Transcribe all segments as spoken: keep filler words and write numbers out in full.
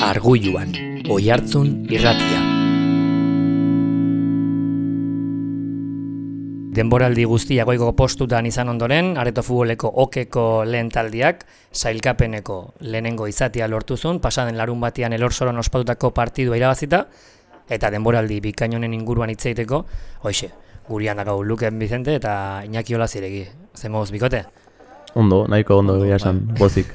Argulluan, Oihartzun irratia. Denboraldi guztia goiko postutan izan ondoren, Areto Futboleko okeko lehen taldiak, sailkapeneko lehenengo izatea lortuzun, pasaden larun batean Elorzoron ospatutako partidua irabazita, eta denboraldi bikainonen inguruan hitz egiteko, hoixe, gurian dakau Luken Vicente eta Iñaki Olaziregi. Zemoz, bikote? Ondo, nahiko ondo egia esan, bozik.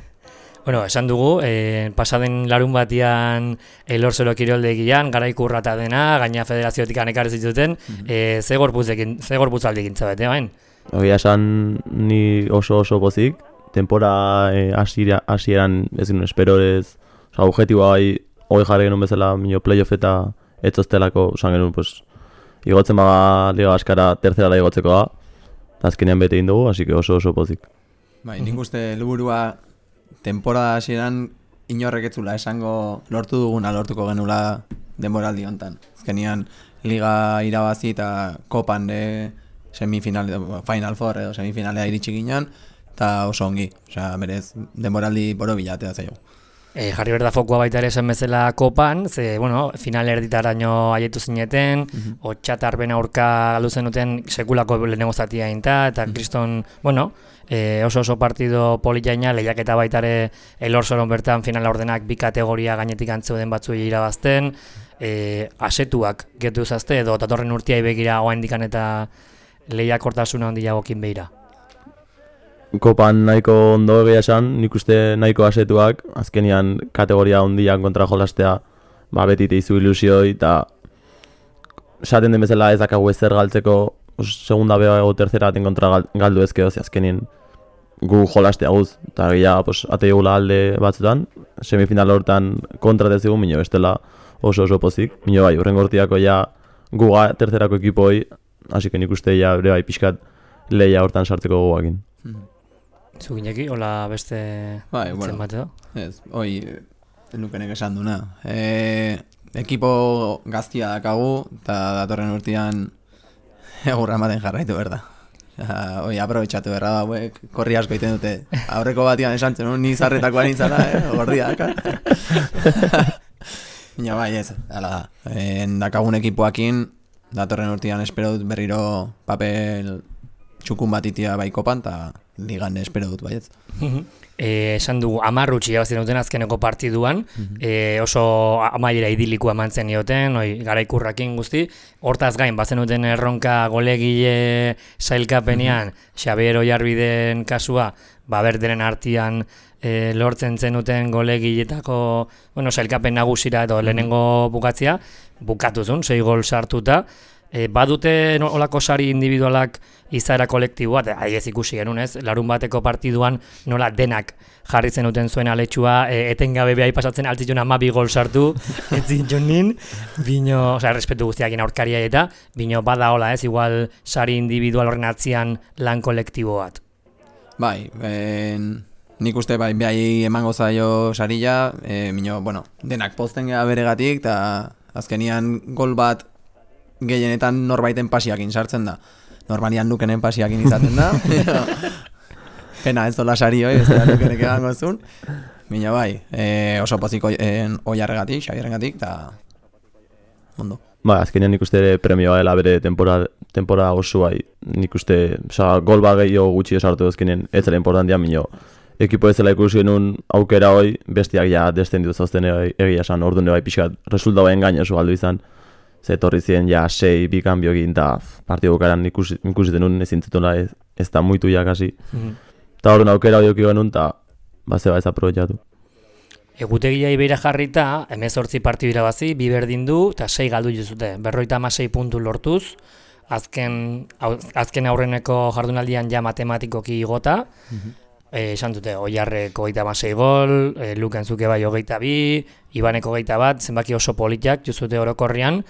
Bueno, esan dugu, eh, pasaden larun batean Elorzoro kiroldegian, garaikurra eta dena, gaina federaziotik ekarri zituten, mm-hmm. eh, ze gorputzekin, ze gorputzaldi gintza bete, bain? Egia esan ni oso oso bozik, tempora eh, hasieran ez ginen esperorez, oza, objetiboa bai, hori jarri genuen bezala, minio playoff eta etzoztelako, osan genuen, pues, igotzen baga liga askara tercera igotzeko da, eta azkenean bete egin dugu, así que oso oso bozik. Bai, nik uste helburua temporada hasieran inorrek etzula esango lortu duguna lortuko genula denboraldi hontan. Azkenean liga irabazi eta kopan de semifinal, final four edo semifinalea iritsi ginen, eta oso ongi. Osea, berez denboraldi borobila atea zaio. E, jarri berda fokua baita ere esan bezala kopan, ze, bueno, final erditaraino aietu zineten, mm-hmm. Otxatarben aurka galdu zenuten sekulako lehenengo zatia inta, eta mm-hmm. kriston, bueno, e, oso oso partido poliaina, lehiaketa baita ere Elorzoron bertan final ordenak bi kategoria gainetik antzeuden batzuei irabazten, e, asetuak getu zazte, edo datorren urtiai begira oaindikan eta lehiakortasuna handiagokin behira. Kopan nahiko ondo egia esan, nik uste nahiko asetuak, azkenian kategoria handian kontra jolastea, ba betite izu ilusioi, eta esaten den bezala ez dakagu ezer galtzeko, segunda bea o tercera baten kontra galdu ezkeo, azkenien gu jolastea guz, eta gila pues, ateigula alde batzutan, semifinal hortan kontra dezigu, minio bestela oso oso pozik, minio bai, urren gortiako ja guga tercerako ekipoi, hasi que nik uste ja ere bai pixkat lehia hortan sartzeko guakin. Mm-hmm. Zugineki, hola beste bai, bueno, bateo? Ez, hoi, nukenek esan duna. E, ekipo gaztia dakagu, eta datorren urtean egurra ematen jarraitu berda. Hoi, aprobetxatu berra da, hauek, korri asko iten dute. Aurreko batian esan zen, ni zarretakoa nintzala, eh, gordia daka. Ina bai, ez, ala da. E, dakagun ekipoakin, datorren urtean espero dut berriro papel txukun bat itia bai kopan, eta ligan espero dut baietz. E, esan dugu, amarrutxi abazten duten azkeneko partiduan, mm-hmm. e, oso amaiera idilikoa mantzen dioten, oi, garaikurrakin guzti, hortaz gain, bazen duten erronka golegile sailkapenean, mm-hmm. Xabier Oiarbiden kasua, ba berderen artian e, lortzen zenuten golegiletako, bueno, sailkapen nagusira edo mm-hmm. lehenengo bukatzia, bukatuzun, sei gol sartuta, E, badute olako sari individualak izaera kolektiboa, eta aiez ikusi genuen ez, larun bateko partiduan nola denak jarri zenuten zuen aletxua, e, etengabe behai pasatzen altzitun amabi gol sartu, ez zintzun nin, bino, oza, respetu guztiakin aurkaria eta, bino bada hola ez, igual sari individual horren atzian lan kolektibo bat. Bai, ben, nik uste bai behai emango zaio sarila, e, bino, bueno, denak pozten gara beregatik, eta azkenian gol bat gehienetan norbaiten pasiakin sartzen da. Normalian Lukenen pasiakin izaten da. Pena ez dola sari hoi, ez da Lukenek egango zuen. Bina bai, e, oso poziko oiarregatik, xabierregatik, eta ondo. Ba, azkenean nik uste ere premioa dela bere temporada, temporada oso bai. Nik uste, oza, gol bat gehiago gutxi esartu azkenean, ez zela importantia, minio. Ekipo ez zela ikusi genuen aukera hoi, bestiak ja destenditu zauzten egia esan, orduan bai pixkat, resultauen gaina oso galdu izan. Zetorri ziren ja sei bi kanbio egin eta partidu bukaeran ikusi, ikusiten nuen ezin zetuna ez, ez da muitu jakasi. Mm-hmm. Eta horren aukera hori oki genuen eta bazeba ez aprobetxatu. Egutegia ibeira jarrita, hemezortzi partidu irabazi, bi berdin du eta sei galdu juzute. Berroita hamasei puntu lortuz, azken, azken aurreneko jardunaldian ja matematikoki igota. Mm-hmm. E, esan dute, Oiarrek hogeita hamasei gol, e, Luken zuke bai hogeita bi, Ibaneko hogeita bat, zenbaki oso politak juzute orokorrian.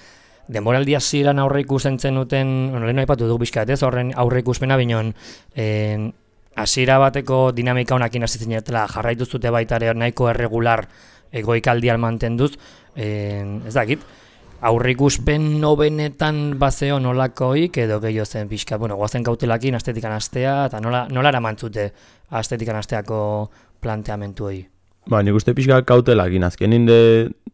Denboraldi hasieran aurre ikusten zenuten, bueno, lehen aipatu dugu bizkat ez, horren aurre ikuspena binon, eh, hasiera bateko dinamika honakin hasi zinetela, jarraitu zute baita ere nahiko erregular egoikaldian mantenduz, eh, ez dakit, aurre ikuspen nobenetan bazeo nolakoik edo gehiago zen pixka, bueno, goazen kautelakin astetikan astea, eta nola, nola eramantzute astetikan asteako planteamentu hori? Ba, nik uste pixka kautelakin, azkenin de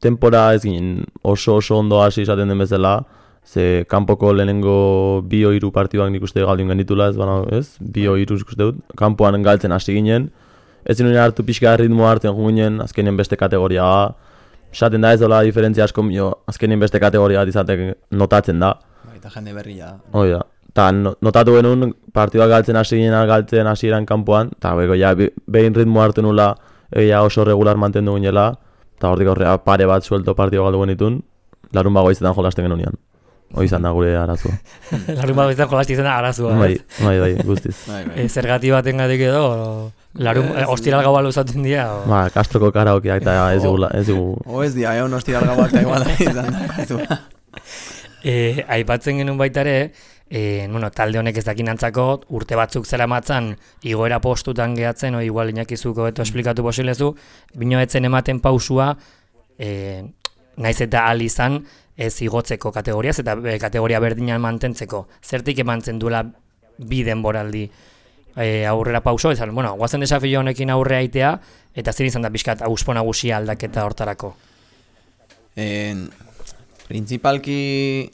tempora ez ginen oso oso ondo hasi izaten den bezala, ze kanpoko lehenengo bi o hiru partiduak nik uste galdun genitula, ez bana, ez? Bi o hiru ikuste dut, kanpoan galtzen hasi ginen, ez zinuen hartu pixka ritmoa hartzen ginen, azkenien beste kategoria, esaten da ez dola diferentzia asko, jo, azkenien beste kategoria bat izatek notatzen da. Eta jende berria. Hoi da. Ta notatu genuen partiduak galtzen hasi ginen, galtzen hasi eran kanpoan, eta beko ja, behin ritmo hartu nula, egia oso regular mantendu ginela, eta hortik aurrea pare bat suelto partidua galdu genitun, larun bago izetan jolasten genuen. Hoi izan da gure arazua. Larun bago izetan jolasten izan da arazua. Bai, bai, bai, guztiz. E, zergati baten gatik edo, larun, e, ostiral gaua luzaten dira? O... Ba, Castroko karaokeak eta ez dugu... Ez dugu... O ez dia, egon ostiral gauak eta igual izan da arazua. E, aipatzen genuen baita ere, e, bueno, talde honek ez dakin antzako, urte batzuk zera matzan, igoera postutan gehatzen, o igual inakizuko beto esplikatu posilezu, bino etzen ematen pausua, e, naiz eta ahal izan, ez igotzeko kategoriaz, eta e, kategoria berdinan mantentzeko. Zertik emantzen duela bi denboraldi e, aurrera pauso, ez, bueno, guazen desafio honekin aurre aitea, eta zer izan da pixkat auspo nagusia aldaketa hortarako? En, Principalki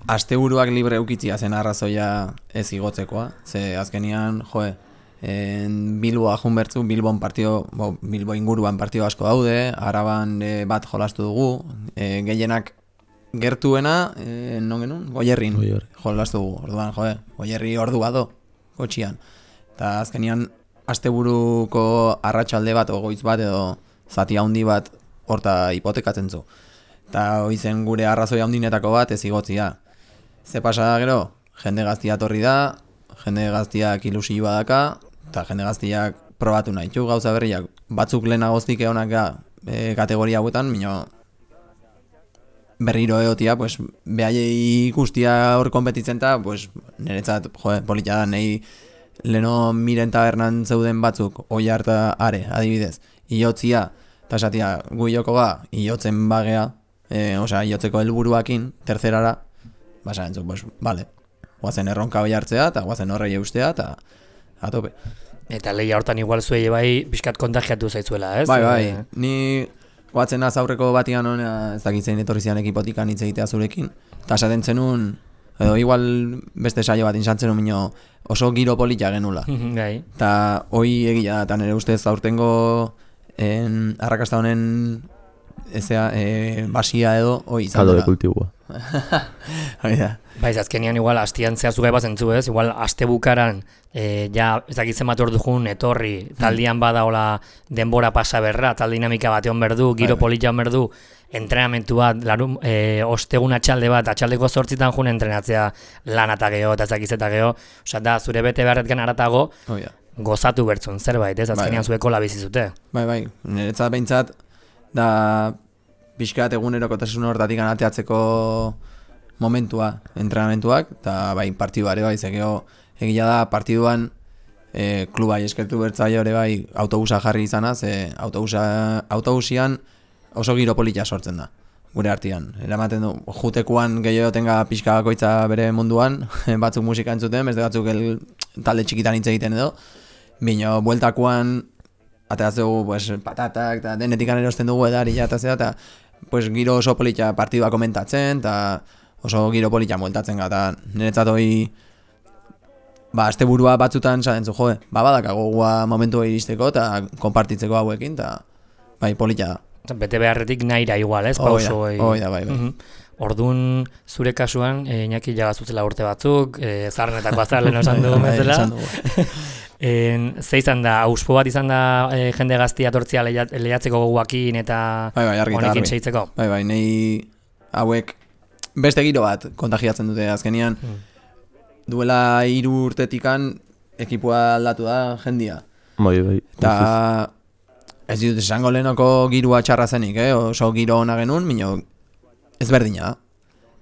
asteburuak libre eukitzia zen arrazoia ez igotzekoa, ze azkenian, joe, en Bilboa jun bertzu, Bilbon partio, bo, Bilbo inguruan partio asko daude, Araban e, bat jolastu dugu, e, gehienak gertuena, e, non genuen, Goierrin jolastu dugu, orduan, joe, Goierri ordu bado, kotxian. Eta azkenian asteburuko arratsalde bat, ogoitz bat edo zati handi bat horta hipotekatzen zu. Eta hoizen gure arrazoi handinetako bat ez igotzia. Ze pasa da gero, jende gaztia torri da, jende gaztiak ilusioa daka, eta jende gaztiak probatu nahi txu gauza berriak. Batzuk lehenagoztik egonak ga e, kategoria hauetan, mino berriro egotia, pues, behaiei ikustia hor konpetitzen eta, pues, niretzat, joe, polita da, nahi leno miren tabernan zeuden batzuk, oi harta are, adibidez, iotzia, eta esatia, gu joko ga, iotzen bagea, e, osea, iotzeko helburuakin, tercerara, basa entzuk, pues, vale, guazen erronka bai hartzea, eta guazen horrei eustea, eta atope. Eta lehia hortan igual zuei bai pixkat kontagiatu zaizuela, ez? Bai, bai, ni guatzen az aurreko batian hona, ez dakitzein etorri zian ekipotikan hitz egitea zurekin, eta esaten zenun, edo igual beste saio bat insantzen mino oso giro polita genula. Gai. Eta hoi egia da, eta nire ustez aurtengo en, arrakasta honen ezea, e, basia edo hoi izan Caldo dela. de cultivoa. Hoi da. Baiz, azkenian igual astian zehazu gai bazentzu, ez? Igual aste bukaran, e, ja, ez dakitzen bat hor dugun, etorri, taldian bada hola denbora pasa berra, tal dinamika bat egon berdu, giro polita egon berdu, entrenamentu bat, larun, e, ostegun atxalde bat, atxaldeko zortzitan jun entrenatzea lan eta geho, eta ez dakitzeta geho, osea, da, zure bete beharretkan aratago, Hoi da. gozatu bertzun zerbait, ez? Azkenian Bai, zueko labizizute. Bai, bai, niretzat behintzat, da pixkat egunerokotasun hortatik anateatzeko momentua, entrenamentuak, eta bai, partidua ere bai, zegeo egia da partiduan e, klubai eskertu bertzaio ere bai autobusa jarri izana, ze autobusa, autobusian oso giro polita sortzen da, gure artean. Eramaten du, jutekuan gehiago tenga pixka bakoitza bere munduan, batzuk musika entzuten, beste batzuk el, talde txikitan hitz egiten edo, bino, bueltakuan ateratzeu pues, patatak, eta denetikan erosten dugu edaria eta zera, eta pues, giro oso polita partidua komentatzen, eta oso giro polita bueltatzen gara, eta niretzat hoi ba, azte burua batzutan zaten zu, joe, ba, badakago gua momentua iristeko, eta konpartitzeko hauekin, eta bai, polita da. Bete beharretik naira igual, ez? Pauso, hoi da, bai, bai. Uh-huh. Orduan, zure kasuan, e, Iñaki jagazuzela urte batzuk, e, zarrenetako azarlen osan dugu bezala. En, ze izan da, auspo bat izan da e, jende gaztia tortzia lehiatzeko goguakin eta bai, bai, honekin seitzeko? Bai, bai, nahi hauek beste giro bat kontagiatzen dute azkenian. Hmm. Duela hiru urtetikan ekipua aldatu da jendia. Bai, bai. Eta ez dut esango lehenoko girua txarra zenik, eh? Oso giro ona genuen, mino ezberdina da.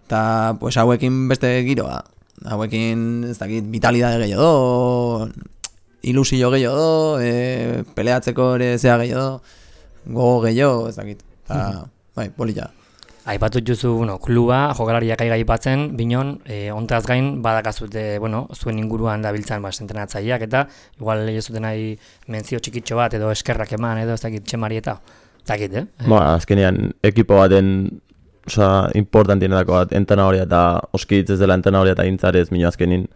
Eta pues, hauekin beste giroa. Hauekin, ez dakit, vitalidade gehiago, ilusio gehiago, e, peleatzeko ere zea gehiago, gogo gehiago, ez dakit. Eta, bai, polita. Aipatu juzu, bueno, kluba, jokalariak aiga aipatzen, binon, e, ontaz gain badakazute, bueno, zuen inguruan dabiltzan bas entrenatzaileak eta igual ez zuten nahi mentzio txikitxo bat edo eskerrak eman edo ez dakit txemari eta ez dakit, eh? Ba, azkenean ekipo baten oza, importantienetako bat entrenadoria eta oskitz ez dela entrenadoria eta intzarez, mino azkenin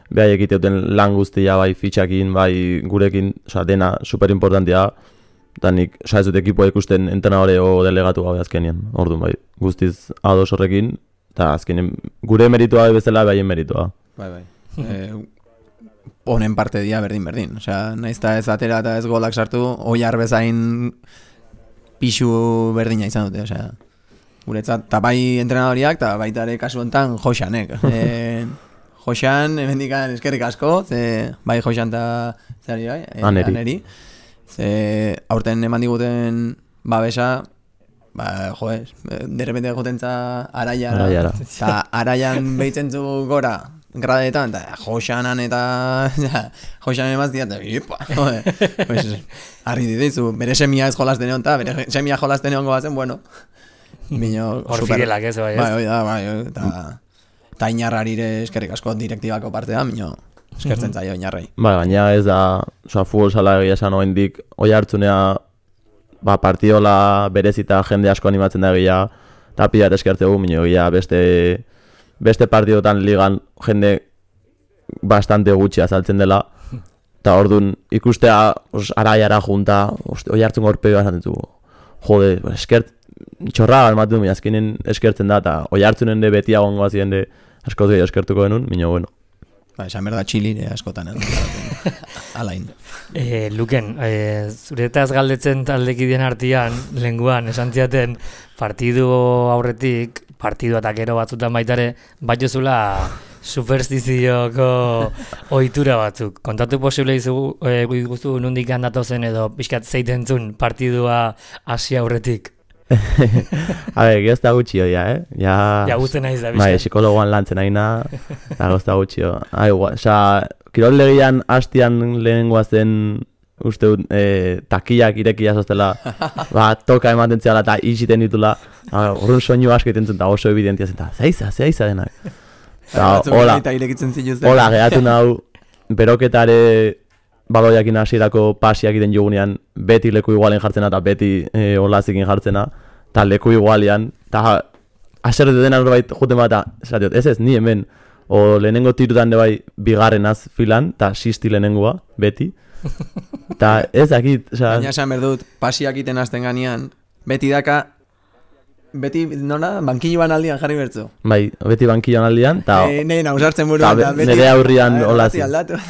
behai egiteuten lan guztia, bai fitxakin, bai gurekin, oza, dena superimportantia, eta nik, oza, ez dut ekipoa ikusten entrenadore o delegatu gabe azkenean, orduan bai, guztiz ados horrekin, eta azkenean gure meritua bezala behaien meritua. Bai, bai. eh, honen parte dia berdin-berdin, osea, naizta ez atera eta ez golak sartu, oiar bezain pixu berdina izan dute, osea, guretzat, eta bai entrenadoriak, eta baita ere kasu honetan Joxanek. E, Joxan, emendikan eskerrik asko, ze, bai Joxan eta zari bai, e, Aneri. Aneri. Ze, aurten eman diguten babesa, ba, jo ez, derrepente jotentza araiara, Araiara. eta araian behitzen zu gora, gradetan, eta Joxanan eta Joxanen emaztia, eta ipa, joder, pues, argi ditu, bere semia ez jolasten egon, eta bere semia jolasten egon goazen, bueno, Bino, hor fidelak ez, bai, ez? Bai, da, bai, eta eta inarrarire eskerrik asko direktibako partea, bino, eskertzen zaio inarrei. Ba, gaina ez da, oza, futbol sala egia esan oendik, oi hartzunea, ba, partiola berezita jende asko animatzen da egia, eta pilat eskertzegu, bino, egia beste, beste partidotan ligan jende bastante gutxi azaltzen dela, eta orduan ikustea, os, araiara junta, oi hartzun gorpeo esaten zu, jode, eskert, txorra almatu du, azkenen eskertzen da, eta oi hartzunen de beti agongo azien de askoz gehi eskertuko denun, minio bueno. Ba, esan berda txilire askotan, eh? Alain. E, Luken, e, zuretaz galdetzen taldekideen artean, lenguan, esan ziaten, partidu aurretik, partidu eta gero batzutan baitare, bat jozula superstizioko ohitura batzuk. Kontatu posible izugu, e, guztu nondik handatu zen edo pixkat zeitentzun partidua hasi aurretik. A ber, gehozta gutxio, ja, eh? Ja, Ja guzten naiz da, bai, pixkat. psikologoan lantzen nahi na, eta gehozta gutxio. Ah, igual, oza, kirol legian hastian lehenengoa zen, uste dut, e, takiak irekia zoztela, ba, toka ematen ziala eta itxiten ditula, horren soinu asko iten zuen, eta oso evidentia zen, eta zeiza, zeiza denak. Eta hola, Eta irekitzen zituzten. hola, gehatu nau, beroketare baloiakin hasierako pasiak iten jogunean, beti leku igualen jartzena eta beti e, olazikin jartzena, eta leku igualean, eta aserretu dena norbait juten bat, esatiot, ez ez, ni hemen, o lehenengo tirutan de bai bigarrenaz filan, eta sisti lehenengoa, beti, eta ez dakit, oza... Baina esan berdut, pasiak iten hasten ganean, beti daka, beti, nola, bankilloan aldian jarri bertzu. Bai, beti bankilloan aldian, eta... E, Nei nausartzen buruan, Ta be- nire aurrian olazi. aldatu.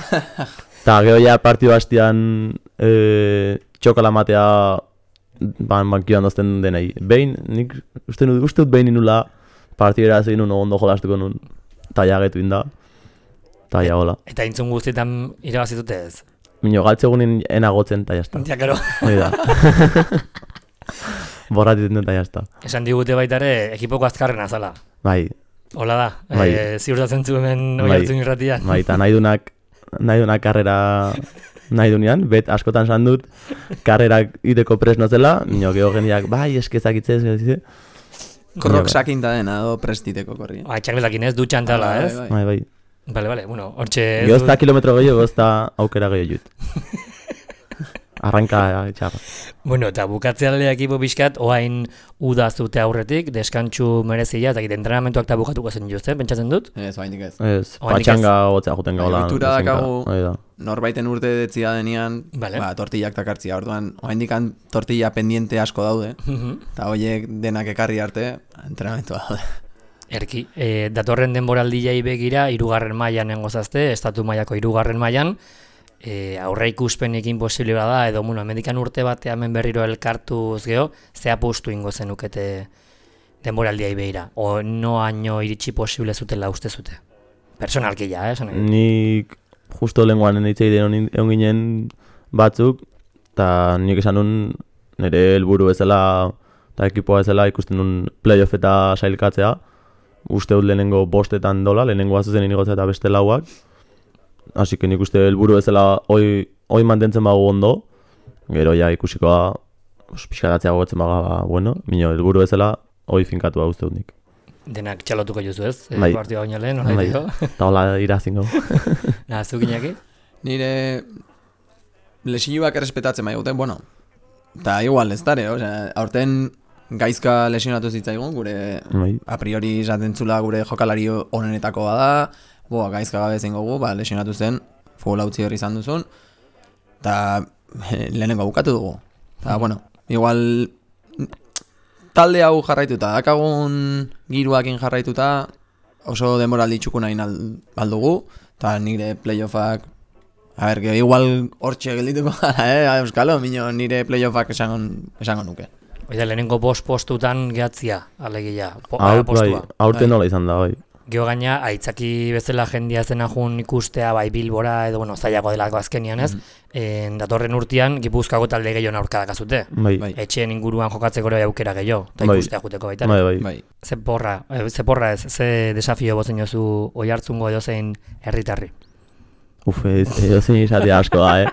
Eta gero ja partidu hastian e, txokala matea ban, bankioan dozten denei. Behin, nik uste dut, uste dut behin inula partidera zegin nun ondo jolastuko nun. Eta ja getu inda. Eta ja hola. Eta intzun guztietan irabazitute ez? Mino galtzegunin enagotzen eta jazta. Ja, karo. Hoi da. Borratiten dut eta jazta. Esan digute baita ere, ekipoko azkarrena zala. Bai, Hola da, Bai. e, ziurtatzen zu hemen Bai. oihartzun irratian. bai, eta nahi dunak, nahi dunak karrera nahi dunean, bet askotan san dut, karrerak iteko presno zela, mino geho jendeak, bai, eskezak itzez, ez, Krok sakinta dena, do prestiteko korri. Ba, txakletakin ez, dutxan tala, ez? Bai, bai, bai. Bale, bale, bueno, hortxe... ez Gehozta dut- kilometro gehiago, gehozta aukera gehiago jut. Arranka txarra. Bueno, eta bukatzealea ekipo pixkat, oain uda zute aurretik, deskantxu merezia, eta entrenamentuak eta bukatuko zen juzten, pentsatzen dut? Ez, oraindik ez. Ez, Oraindik patxanga gotzea juten gaula. Ohitura dakagu. Hoi da. Norbaiten urte detzia denean, Vale. ba, tortillak takartzia, orduan, oraindikan tortilla pendiente asko daude, eta horiek denak ekarri arte, entrenamentua daude. Erki, e, datorren denboraldiai begira, hirugarren mailan engozazte, estatu mailako hirugarren mailan, e, aurre ikuspenekin posible da, edo, bueno, hemendikan urte batean hemen berriro elkartuz geho, ze apustu ingo zenukete denboraldiai begira, o no haino iritsi posible zutela uste zute. Personalki ja, eh, esan nahi dut. Nik justo lenguan nitzei den egon ginen batzuk, eta nik esan nun nire helburu bezala eta ekipoa bezala ikusten nun playoff eta sailkatzea. Uste dut lehenengo bostetan dola, lehenengo azuzen inigotzea eta beste lauak. Así que nik uste helburu bezala hoi, hoi mantentzen bago ondo, gero ja ikusikoa pixkatatzea gogotzen baga, ba, bueno, mino helburu bezala hoi finkatua uste dut nik. Denak txalotuko juzu ez? Bai. E, partioa baina lehen, hola Bai. dio. Eta hola irazingo. Na, zukinaki? Nire lesioak errespetatzen bai guten, bueno, eta igual ez dare, osea, aurten gaizka lesionatu zitzaigun, gure Bai. a priori esaten zula gure jokalari onenetako bada, boa, gaizka gabe zein gogu, ba, lesionatu zen, futbol utzi hori izan duzun, eta lehenengo bukatu dugu. Eta, bueno, igual talde hau jarraituta, dakagun giruakin jarraituta, oso demoraldi txuku nahi aldugu, eta nire playoffak, a ber, que igual hortxe geldituko gara, eh, euskalo, minio, nire playoffak esango, esango nuke. Oida, lehenengo bost postutan gehatzia, alegia, po, Hau, bai, postua. aurten nola izan da, bai. Geo gaina, aitzaki bezala jendia zena jun ikustea, bai Bilbora, edo, bueno, zailago delako azkenian ez, mm. en, datorren urtean, Gipuzkoako talde gehiago aurka dakazute. Bai. Bai. Etxeen inguruan jokatzeko ere aukera gehiago, eta Bai. ikustea juteko baita. Bai, bai. Bai. Ze porra, eh, ze porra ez, ze desafio bozen jozu oihartzungo edo zein herritarri. Uf, ez, edo zein izatea asko da, eh?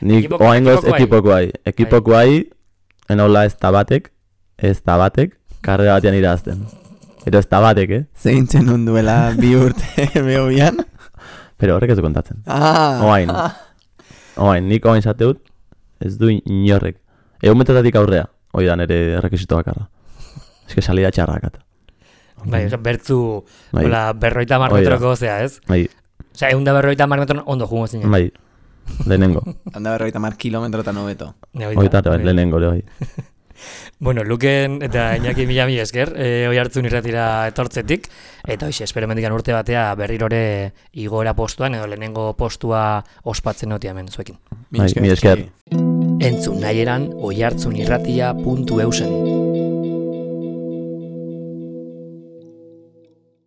Nik Ekipoko- oaingoz ekipokoai. ekipokoai. Ekipokoai, enola ez da batek, ez da batek, karrera batean irazten. Pero ez da batek, eh? Zeintzen unduela bi urte behobian. Pero horrek ez du kontatzen. Ah, Oain. Oain, nik oain zateut, ez du inorrek. Egun metatatik aurrea, hoi da nire rekisito bakarra. Ez que salida txarrakat. Bai, oza, bertzu, Bai. hola, berroita mar Hoi da. metroko zea, ez? Bai, Osa, egun da berroita mar metron ondo jungo zinen. bai, lehenengo. handa berroita mar kilometro eta nobeto. Ne, hoi da, Hoi da, bai, hoi da. lehenengo, bai. Bueno, Luken eta Iñaki mila mi esker, e, oi hartzun irratira etortzetik, eta hoxe, espero mendikan urte batea berrirore igoera postuan, edo lehenengo postua ospatzen noti hemen zuekin. Bai, mi esker. Entzun nahi eran oihartzunirratia puntu eusen.